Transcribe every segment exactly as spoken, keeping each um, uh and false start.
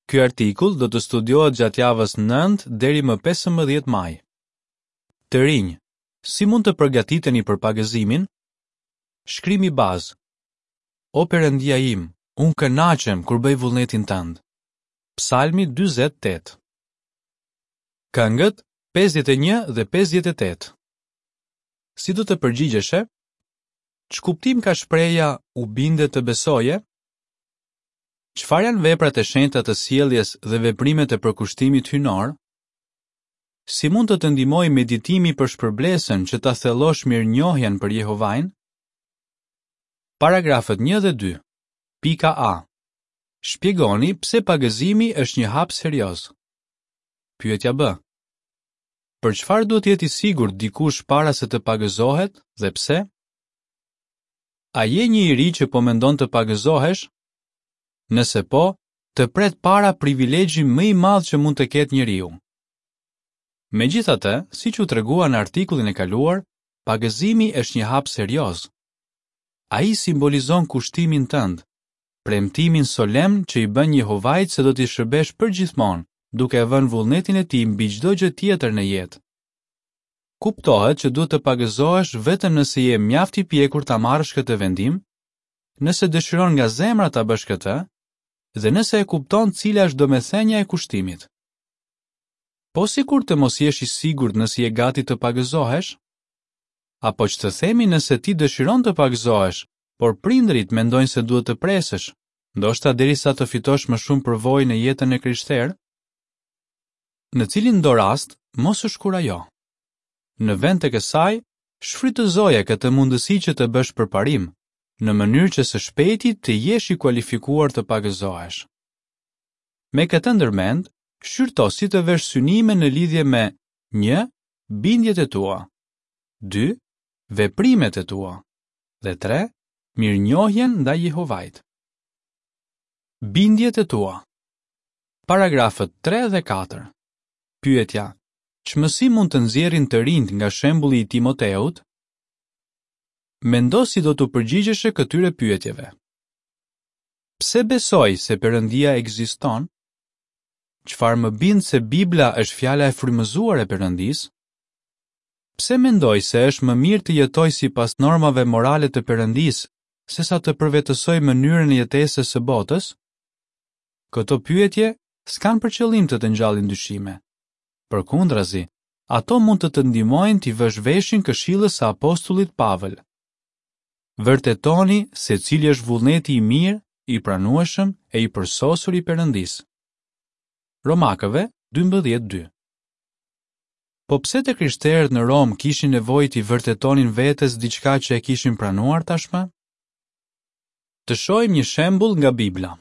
Ky artikull do të studiohet gjatë javës nëntë deri më pesëmbëdhjetë maj. Të rinj, si mund të përgatiteni për pagëzimin? Shkrimi bazë. O Perëndia im, unë kënaqem kur bëj vullnetin tënd. Psalmi dyzet e tetë. Këngët pesëdhjetë e një dhe pesëdhjetë e tetë. Si do të përgjigjeshe? Ç'kuptim ka shprehja u binde të besoje? Çfarë janë veprat e shenjta të sjelljes dhe veprimet e përkushtimit hyjnor? Si mund të të ndihmojë meditimi për shpërblesën që ta thellosh mirënjohjen për Jehovain? Paragrafët një dhe dy. Pika A. Shpjegoni pse pagëzimi është një hap serioz. Pyetja B. Për çfarë duhet të jetë i sigurt dikush para se të pagëzohet dhe pse? A je një i ri që po mendon të pagëzohesh? Nëse po, të pret para privilegji më i madh që mund të ketë njeriu. Megjithatë, siç u tregua në artikullin e kaluar, pagëzimi është një hap serioz. Ai simbolizon kushtimin tënd, premtimin solemn që i bën Jehovait se do t'i shërbesh përgjithmonë, duke e vënë vullnetin e tij mbi çdo gjë tjetër në jetë. Kuptohet që duhet të pagëzohesh vetëm nëse je mjaft i pjekur ta marrësh këtë vendim, nëse dëshiron nga zemra ta bësh këtë dhe nëse e kupton cila është domethënia e kushtimit. Po sikur të mos jesh i sigurt nëse je gati të pagëzohesh? Apo që të themi nëse ti dëshiron të pagëzohesh, por prindërit mendojnë se duhet të presësh, ndoshta derisa të fitosh më shumë përvojë në jetën e krishterë? Në cilin do rast, mos u shkurajo. Në vend të kësaj, shfrytëzoje këtë mundësi që të bësh përparim, në mënyrë që së shpejti të jesh i kualifikuar të pagëzohesh. Me këtë ndërmend, shqyrto si të vesh synime në lidhje me një. Bindjet e tua, dy. Veprimet e tua dhe tre. Mirënjohjen ndaj Jehovait. Bindjet e tua. Paragrafët tre dhe katër. Pyetja: Ç'mësim mund të nxjerrin të rinjtë nga shembulli i Timoteut? Mendo si do t'u përgjigjeshe këtyre pyetjeve. Pse besoj se Perëndia ekziston? Çfarë më bind se Bibla është fjala e frymëzuar e Perëndisë? Pse mendoj se është më mirë të jetoj sipas normave morale të Perëndisë, sesa të përvetësoj mënyrën e jetesës së botës? Këto pyetje s'kanë për qëllim të të ngjallin dyshime. Përkundrazi, ato mund të të ndihmojnë t'i vësh veshin këshillës së apostullit Pavël. Vërtetoni se cili është vullneti i mirë, i pranueshëm e i përsosur i Perëndisë. Romakëve dymbëdhjetë dy. Po pse të krishterët në Romë kishin nevojë t'i vërtetonin vetes diçka që e kishin pranuar tashmë? Të shohim një shembull nga Bibla.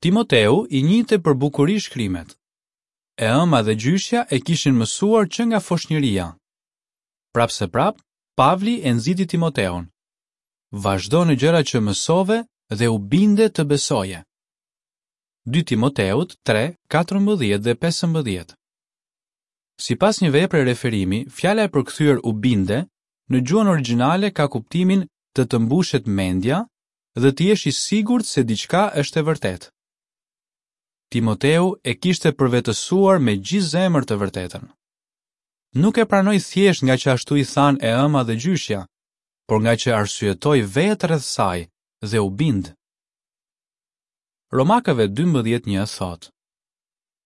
Timoteu i njihte për bukuri shkrimet. E ëma dhe gjyshja e kishin mësuar që nga foshnjëria. Prapseprap, Pavli e nxiti Timoteun. Vazhdo në gjëra që mësove dhe u binde të besoje. Dy Timoteut tre, katërmbëdhjetë dhe pesëmbëdhjetë. Sipas një vepre referimi, fjala e përkthyer u binde në gjuhën origjinale ka kuptimin të të mbushet mendja dhe të jesh i sigurt se diçka është e vërtetë. Timoteu e kishte përvetësuar me gjithë zemër të vërtetën. Nuk e pranoi thjesht nga që ashtu i thanë e ëma dhe gjyshja, por nga që arsyetoi vetë rreth saj dhe u bind. Romakëve dymbëdhjetë një thotë: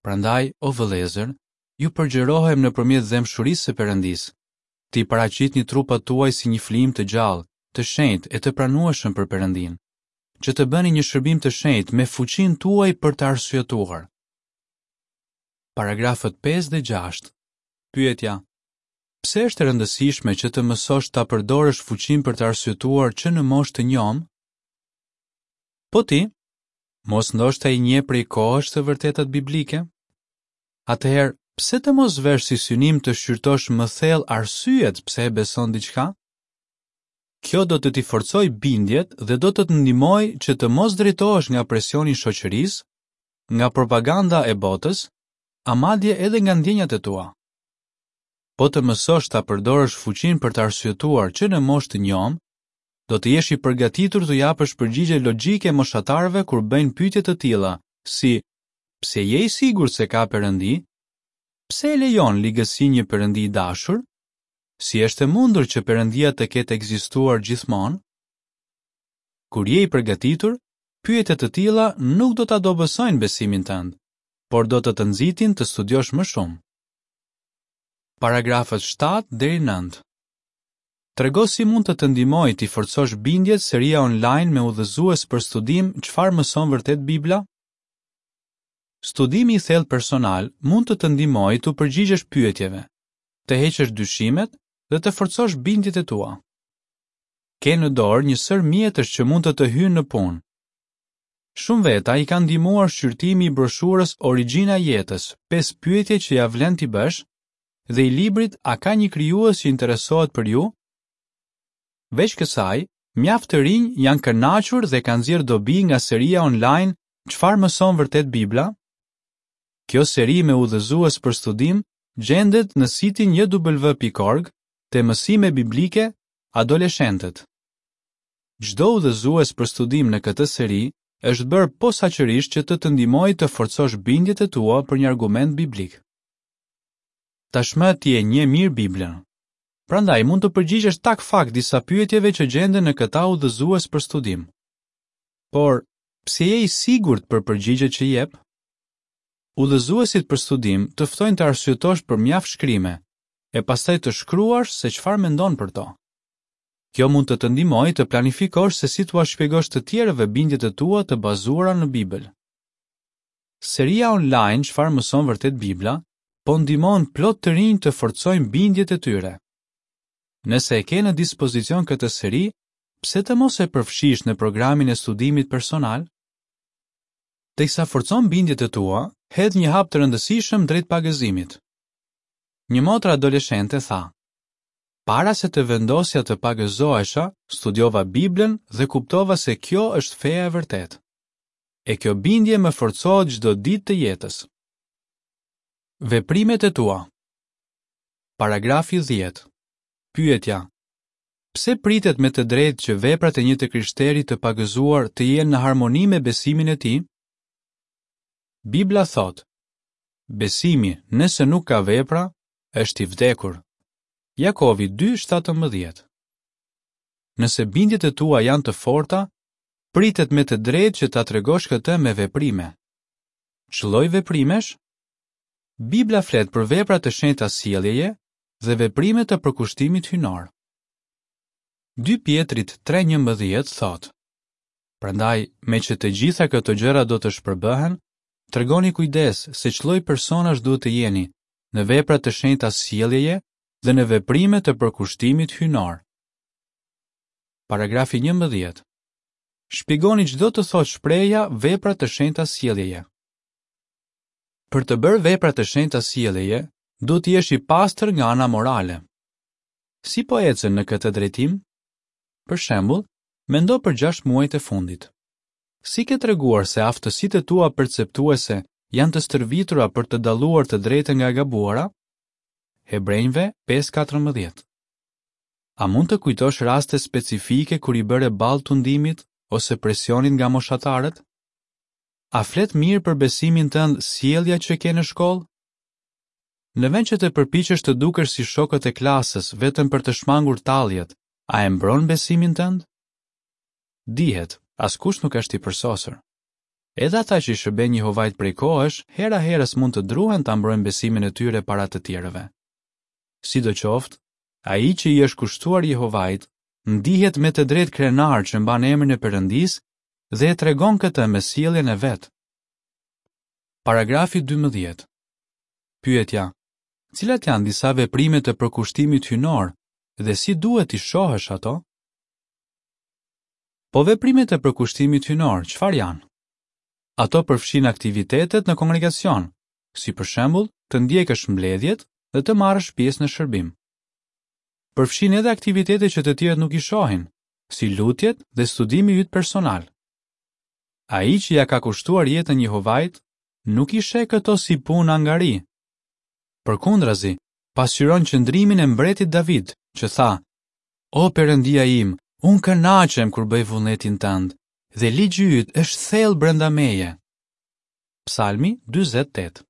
Prandaj, o vëllezër, ju përgjërohem nëpërmjet dhembshurisë së Perëndisë, t'i paraqitni trupat tuaj si një flijim të gjallë, të shenjtë e të pranueshëm për Perëndin, që të bëni një shërbim të shenjtë me fuqinë tuaj për të arsyetuar. Paragrafët pesë dhe gjashtë. Pyetja: Pse është e rëndësishme që të mësosh ta përdorësh fuqinë për të arsyetuar që në moshë të njomë? Po ti, mos ndoshta i njeh prej kohësh të vërtetat biblike? Atëherë, pse të mos vesh si synim të shqyrtosh më thellë arsyet pse e beson diçka? Kjo do të t'i forcojë bindjet dhe do të të ndihmojë që të mos drejtohesh nga presioni i shoqërisë, nga propaganda e botës, a madje edhe nga ndjenjat e tua. Po të mësosh ta përdorësh fuqinë për të arsyetuar që në moshë të njomë, do të jesh i përgatitur t'u japësh përgjigje logjike moshatarëve kur bëjnë pyetje të tilla, si Pse je i sigurt se ka Perëndi? Pse e lejon ligësinë një Perëndi i dashur? Si është e mundur që Perëndia të ketë ekzistuar gjithmonë? Kur je i përgatitur, pyetje të tilla nuk do ta dobësojnë besimin tënd, por do të të nxitin të studiosh më shumë. Paragrafët shtatë deri nëntë. Trego si mund të të ndihmojë t'i forcosh bindjet seria online me udhëzues për studim Çfarë mëson vërtet Bibla? Studimi i thellë personal mund të të ndihmojë t'u përgjigjesh pyetjeve, të heqësh dyshimet dhe të forcosh bindjet e tua. Ke në dorë një sërë mjetesh që mund të të hyjnë në punë. Shumë veta i ka ndihmuar shqyrtimi i broshurës Origjina e jetës, pesë pyetje që ja vlen t'i bësh, dhe i librit A ka një krijues që interesohet për ju? Veç kësaj, mjaft të rinj janë kënaqur dhe kanë nxjerrë dobi nga seria online Çfarë mëson vërtet Bibla? Kjo seri me udhëzues për studim gjendet në sitin J W pikë org te mësime biblike adoleshentët. Çdo udhëzues për studim në këtë seri është bërë posaçërisht që të të ndihmojë të forcosh bindjet e tua për një argument biblik. Tashmë ti e njeh mirë Biblën. Prandaj mund të përgjigjesh tak fak disa pyetjeve që gjenden në këta udhëzues për studim. Por, pse je i sigurt për përgjigjet që jep? Udhëzuesit për studim të ftojnë të arsyetosh për mjaft shkrime, e pastaj të shkruash se çfarë mendon për to. Kjo mund të të ndihmojë të planifikosh se si t'ua shpjegosh të tjerëve bindjet e tua të bazuara në Bibël. Seria online Çfarë mëson vërtet Bibla po ndihmon plot të rinj të forcojnë bindjet e tyre. Nëse e ke në dispozicion këtë seri, pse të mos e përfshish në programin e studimit personal? Teksa forcon bindjet e tua, hedh një hap të rëndësishëm drejt pagëzimit. Një motër adoleshente tha: Para se të vendosja të pagëzohesha, studiova Biblën dhe kuptova se kjo është feja e vërtetë. E kjo bindje më forcohet çdo ditë të jetës. Veprimet e tua. Paragrafi dhjetë. Pyetja: Pse pritet me të drejtë që veprat e një të krishteri të pagëzuar të jenë në harmoni me besimin e tij? Bibla thotë: Besimi, nëse nuk ka vepra, është i vdekur. Jakovi dy shtatëmbëdhjetë. Nëse bindjet e tua janë të forta, pritet me të drejtë që ta tregosh këtë me veprime. Ç'lloj veprimesh? Bibla flet për vepra të shenjta sjelljeje dhe veprime të përkushtimit hyjnor. Dy Pjetrit tre njëmbëdhjetë thotë: Prandaj, me që të gjitha këto gjëra do të shpërbëhen, tregoni kujdes se ç'lloj personash duhet të jeni në vepra të shenjta sjelljeje dhe në veprime të përkushtimit hyjnor. Paragrafi njëmbëdhjetë. Shpjegoni ç'do të thotë shprehja vepra të shenjta sjelljeje. Për të bërë vepra të shenjta sjelljeje, duhet të jesh i pastër nga ana morale. Si po ecën në këtë drejtim? Për shembull, mendo për gjashtë muajt e fundit. Si ke treguar se aftësitë e tua perceptuese janë të stërvitura për të dalluar të drejtën nga e gabuara? Hebrenjve pesë katërmbëdhjetë. A mund të kujtosh raste specifike kur i bëre ballë tundimit ose presionit nga moshatarët? A flet mirë për besimin tënd sjellja që ke në shkollë? Në vend që të përpiqesh të dukesh si shokët e klasës vetëm për të shmangur talljet, a e mbron besimin tënd? Dihet, askush nuk është i përsosur. Edhe ata që i shërbejnë Jehovait prej kohësh, hera herës mund të druhen ta mbrojnë besimin e tyre para të tjerëve. Sidoqoftë, ai që i është kushtuar Jehovait, ndihet me të drejtë krenar që mban emrin e Perëndisë dhe e tregon këtë me sjelljen e vet. Paragrafi dymbëdhjetë. Pyetja: Cilat janë disa veprime të përkushtimit hyjnor dhe si duhet t'i shohësh ato? Po veprimet e përkushtimit hyjnor, çfarë janë? Ato përfshin aktivitetet në kongregacion, si për shembull të ndjekësh mbledhjet dhe të marrësh pjesë në shërbim. Përfshin edhe aktivitete që të tjerët nuk i shohin, si lutjet dhe studimi yt personal. Ai që ja ka kushtuar jetën Jehovait, nuk i sheh këto si punë angari. Përkundrazi, pasqyron qëndrimin e mbretit David, që tha: O Perëndia im, unë kënaqem kur bëj vullnetin tënd, dhe ligji yt është thellë brenda meje. Psalmi dyzet tetë.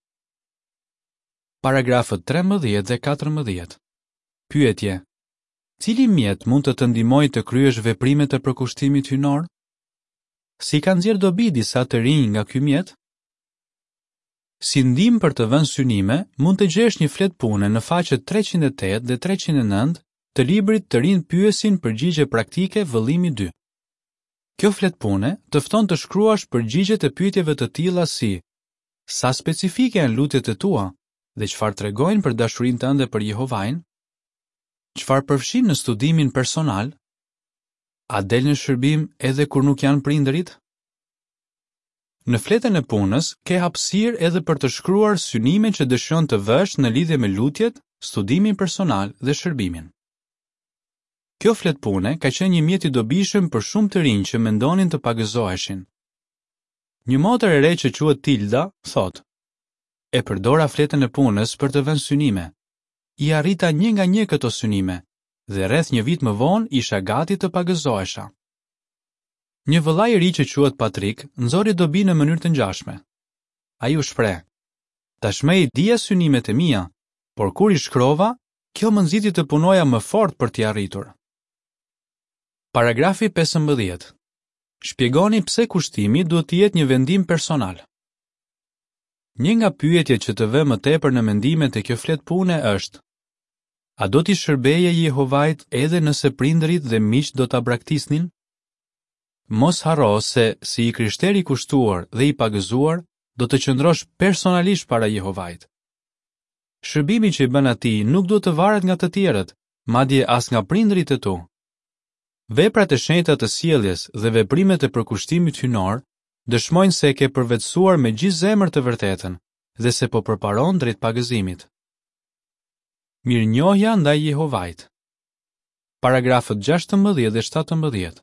Paragrafët trembëdhjetë dhe katërmbëdhjetë. Pyetje: Cili mjet mund të të ndihmojë të kryesh veprimet e përkushtimit hyjnor? Si kanë nxjerrë dobi disa të rinj nga ky mjet? Si ndihmë për të vënë synime, mund të gjesh një fletë pune në faqet treqind e tetë dhe treqind e nëntë të librit Të rinjtë pyesin përgjigje praktike vëllimi dy. Kjo fletë pune të fton të shkruash përgjigjet e pyetjeve të tilla si: Sa specifike janë lutjet e tua dhe çfarë tregojnë për dashurinë tënde për Jehovain? Çfarë përfshin në studimin personal? A del në shërbim edhe kur nuk janë prindërit? Në fletën e punës ke hapësirë edhe për të shkruar synimet që dëshiron të vësh në lidhje me lutjet, studimin personal dhe shërbimin. Kjo fletë pune ka qenë një mjet i dobishëm për shumë të rinj që mendonin të pagëzoheshin. Një motër e re që quhet Tilda thotë: E përdora fletën e punës për të vënë synime. I arrita një nga një këto synime dhe rreth një vit më vonë isha gati të pagëzohesha. Një vëlla i ri që quhet Patrick nxori dobi në mënyrë të ngjashme. Ai u shpreh: Tashmë i dija synimet e mia, por kur i shkrova, kjo më nxiti të punoja më fort për t'i arritur. Paragrafi pesëmbëdhjetë. Shpjegoni pse kushtimi duhet të jetë një vendim personal. Një nga pyetjet që të vë më tepër në mendime te kjo fletë pune është: A do t'i shërbeje Jehovait edhe nëse prindërit dhe miqtë do ta braktisnin? Mos harro se, si i krishterë i kushtuar dhe i pagëzuar, do të qëndrosh personalisht para Jehovait. Shërbimi që i bën atij nuk duhet të varet nga të tjerët, madje as nga prindërit e tu. Veprat e shenjta të sjelljes dhe veprimet e përkushtimit hyjnor dëshmojnë se e ke përvetësuar me gjithë zemër të vërtetën dhe se po përparon drejt pagëzimit. Mirënjohja ndaj Jehovait. Paragrafët gjashtëmbëdhjetë dhe shtatëmbëdhjetë.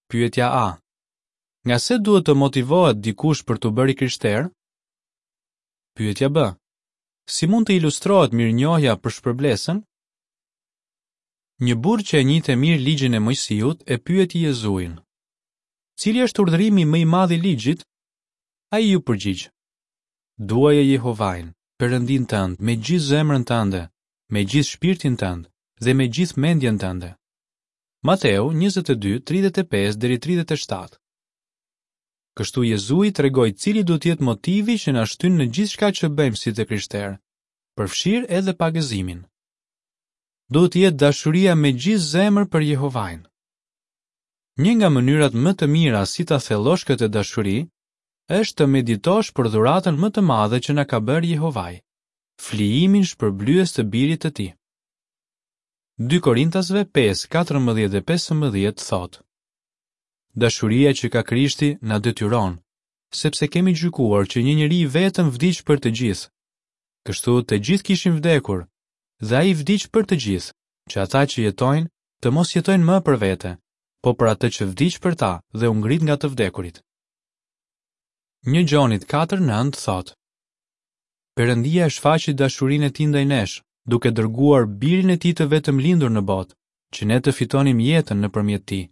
Pyetja A. Nga se duhet të motivohet dikush për t'u bërë i krishterë? Pyetja B. Si mund të ilustrohet mirënjohja për shpërblesën? Një burrë që e njihte mirë ligjin e Moisiut e pyeti Jezuin: Cili është urdhërimi më i madh i ligjit? Ai iu përgjigj: Duaje Jehovain, Perëndin tënd, me gjithë zemrën tënde, me gjithë shpirtin tënd dhe me gjithë mendjen tënde. Mateu njëzet e dy, tridhjetë e pesë deri tridhjetë e shtatë. Kështu Jezui tregoi cili duhet të jetë motivi që na shtyn në gjithçka që bëjmë si të krishterë, përfshirë edhe pagëzimin. Duhet të jetë dashuria me gjithë zemër për Jehovain. Një nga mënyrat më të mira si ta thellosh këtë dashuri është të meditosh për dhuratën më të madhe që na ka bërë Jehovai, flijimin shpërblyes të birit të tij. Dy Korintasve pesë, katërmbëdhjetë dhe pesëmbëdhjetë thotë: Dashuria që ka Krishti na detyron, sepse kemi gjykuar që një njeri i vetëm vdiq për të gjithë. Kështu të gjithë kishin vdekur, dhe ai vdiq për të gjithë, që ata që jetojnë të mos jetojnë më për vete, po për atë që vdiq për ta dhe u ngrit nga të vdekurit. Një Gjonit katër nëntë thotë: Perëndia e shfaqi dashurinë e tij ndaj nesh, duke dërguar birin e tij të vetëm lindur në botë, që ne të fitonim jetën nëpërmjet tij.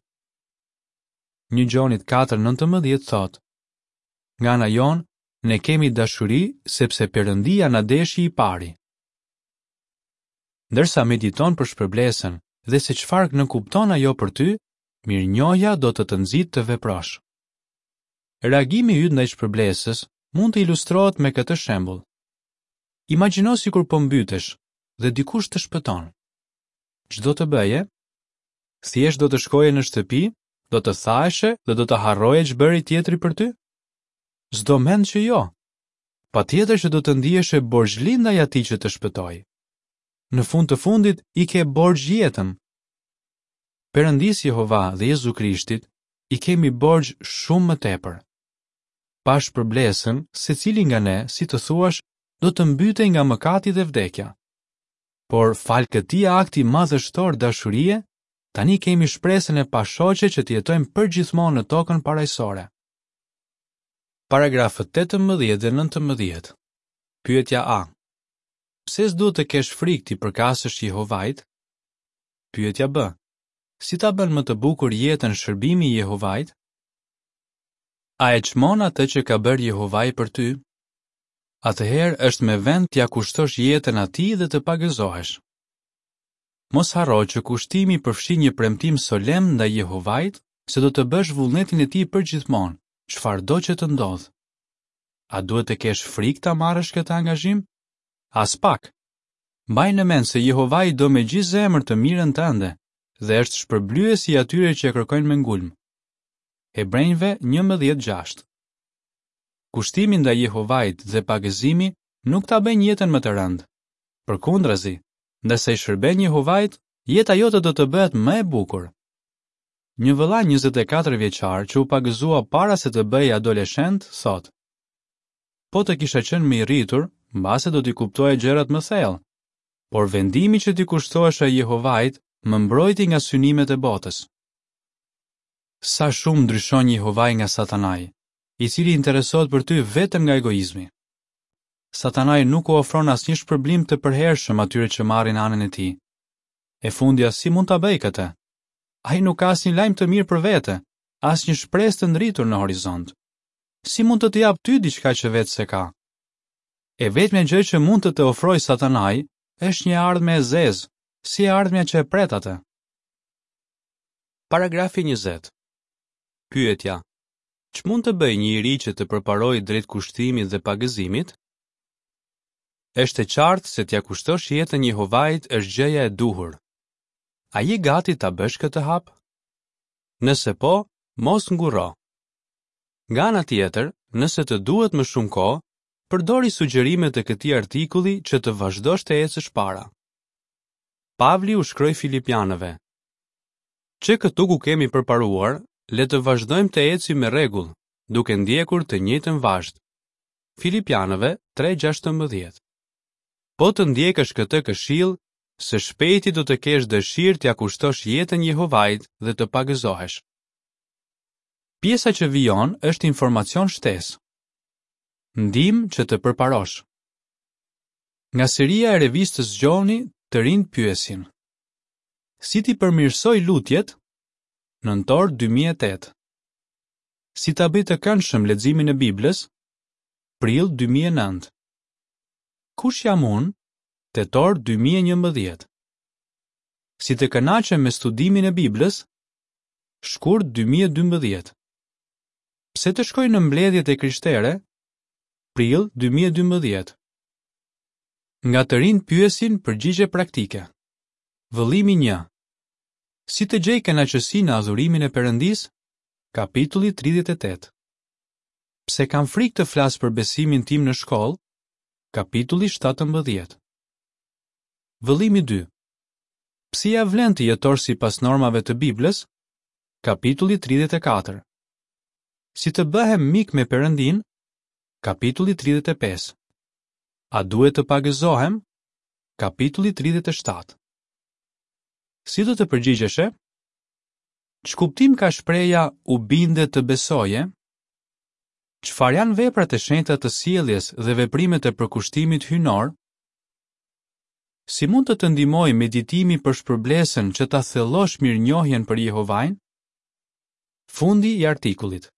Një Gjonit katër nëntëmbëdhjetë thotë: Nga ana jonë, ne kemi dashuri sepse Perëndia na deshi i pari. Ndërsa mediton për shpërblesën dhe se çfarë nënkupton ajo për ty, mirënjohja do të të nxitë të veprosh. Reagimi yt ndaj shpërblesës mund të ilustrohet me këtë shembull. Imagjino sikur po mbytesh dhe dikush të shpëton. Ç'do të bëje? Thjesht do të shkoje në shtëpi, do të thaheshe dhe do të harroje ç'bëri tjetri për ty? S'do mend që jo. Patjetër që do të ndiheshe borxhli ndaj atij që të shpëtoi. Në fund të fundit i ke borxh jetën. Perëndis Jehova dhe Jezu Krishtit i kemi borxh shumë më tepër. Pa shpërblesën, secili nga ne, si të thuash, do të mbytej nga mëkati dhe vdekja. Por fal këtij akti madhështor dashurie, tani kemi shpresën e pashoqe që të jetojmë përgjithmonë në tokën parajsore. Paragrafët tetëmbëdhjetë dhe nëntëmbëdhjetë. Pyetja A. Pse s'duhet të kesh frikë t'i përkasësh Jehovait? Pyetja B. Si ta bën më të bukur jetën shërbimi i Jehovait? A e çmon atë që ka bërë Jehovai për ty? Atëherë është me vend t'ia kushtosh jetën atij dhe të pagëzohesh. Mos harro që kushtimi përfshin një premtim solemn ndaj Jehovait se do të bësh vullnetin e tij përgjithmonë, çfarëdo që të ndodhë. A duhet të kesh frikë ta marrësh këtë angazhim? Aspak. Mbaj në mend se Jehovai do me gjithë zemër të mirën tënde dhe është shpërblyesi i atyre që e kërkojnë me ngulm. Hebrenjve njëmbëdhjetë gjashtë. Kushtimi ndaj Jehovait dhe pagëzimi nuk ta bëjnë jetën më të rëndë. Përkundrazi, ndërsa i shërben Jehovait, jeta jote do të bëhet më e bukur. Një vëlla njëzet e katër vjeçar që u pagëzua para se të bëhej adoleshent, thotë: Po të kisha qenë më i rritur, mbase do t'i kuptoja gjërat më thellë. Por vendimi që t'i kushtohesha Jehovait më mbrojti nga synimet e botës. Sa shumë ndryshon Jehovai nga Satanai, i cili interesohet për ty vetëm nga egoizmi. Satanai nuk u ofron asnjë shpërblim të përhershëm atyre që marrin anën e tij. E fundja, si mund ta bëjë këtë? Ai nuk ka asnjë lajm të mirë për vete, asnjë shpresë të ndritur në horizont. Si mund të të japë ty diçka që vetë s'e ka? E vetmja gjë që mund të të ofrojë Satanai është një ardhme e zezë, si e ardhmja që e pret atë. Paragrafi njëzet. Pyetja: Ç'mund të bëjë një i ri që të përparojë drejt kushtimit dhe pagëzimit? Është e qartë se t'ia kushtosh jetën Jehovait është gjëja e duhur. A je gati ta bësh këtë hap? Nëse po, mos ngurro. Nga ana tjetër, nëse të duhet më shumë kohë, përdori sugjerimet e këtij artikulli që të vazhdosh të ecësh para. Pavli u shkroi Filipianëve: Që këtu ku kemi përparuar, le të vazhdojmë të ecim me rregull, duke ndjekur të njëjtën vazhdë. Filipianëve tre gjashtëmbëdhjetë. Po të ndjekësh këtë këshill, së shpejti do të kesh dëshirë t'ia kushtosh jetën Jehovait dhe të pagëzohesh. Pjesa që vijon është informacion shtesë. Ndihmë që të përparosh. Nga seria e revistës Zgjoni, të rinjt pyesin: Si t'i përmirësoj lutjet? Nëntor dy mijë e tetë. Si ta bëj të këndshëm leximin e Biblës? Prill dy mijë e nëntë. Kush jam unë? Tetor dy mijë e njëmbëdhjetë. Si të kënaqem me studimin e Biblës? Shkurt dy mijë e dymbëdhjetë. Pse të shkoj në mbledhjet e krishtere? Prill dy mijë e dymbëdhjetë. Nga të rinjt pyesin përgjigje praktike. Vëllimi një. Si të gjej kënaqësi në adhurimin e Perëndisë? Kapitulli tridhjetë e tetë. Pse kam frikë të flas për besimin tim në shkollë? Kapitulli shtatëmbëdhjetë. Vëllimi dy. Pse ja vlen të jetosh sipas normave të Biblës? Kapitulli tridhjetë e katër. Si të bëhem mik me Perëndin? Kapitulli tridhjetë e pesë. A duhet të pagëzohem? Kapitulli tridhjetë e shtatë. Si do të përgjigjeshe? Ç'kuptim ka shpreha u binde të besoje? Çfarë janë veprat e shenjta të sjelljes dhe veprimet e përkushtimit hyjnor? Si mund të të ndihmojë meditimi për shpërblesën që ta thellosh mirënjohjen për Jehovain? Fundi i artikullit.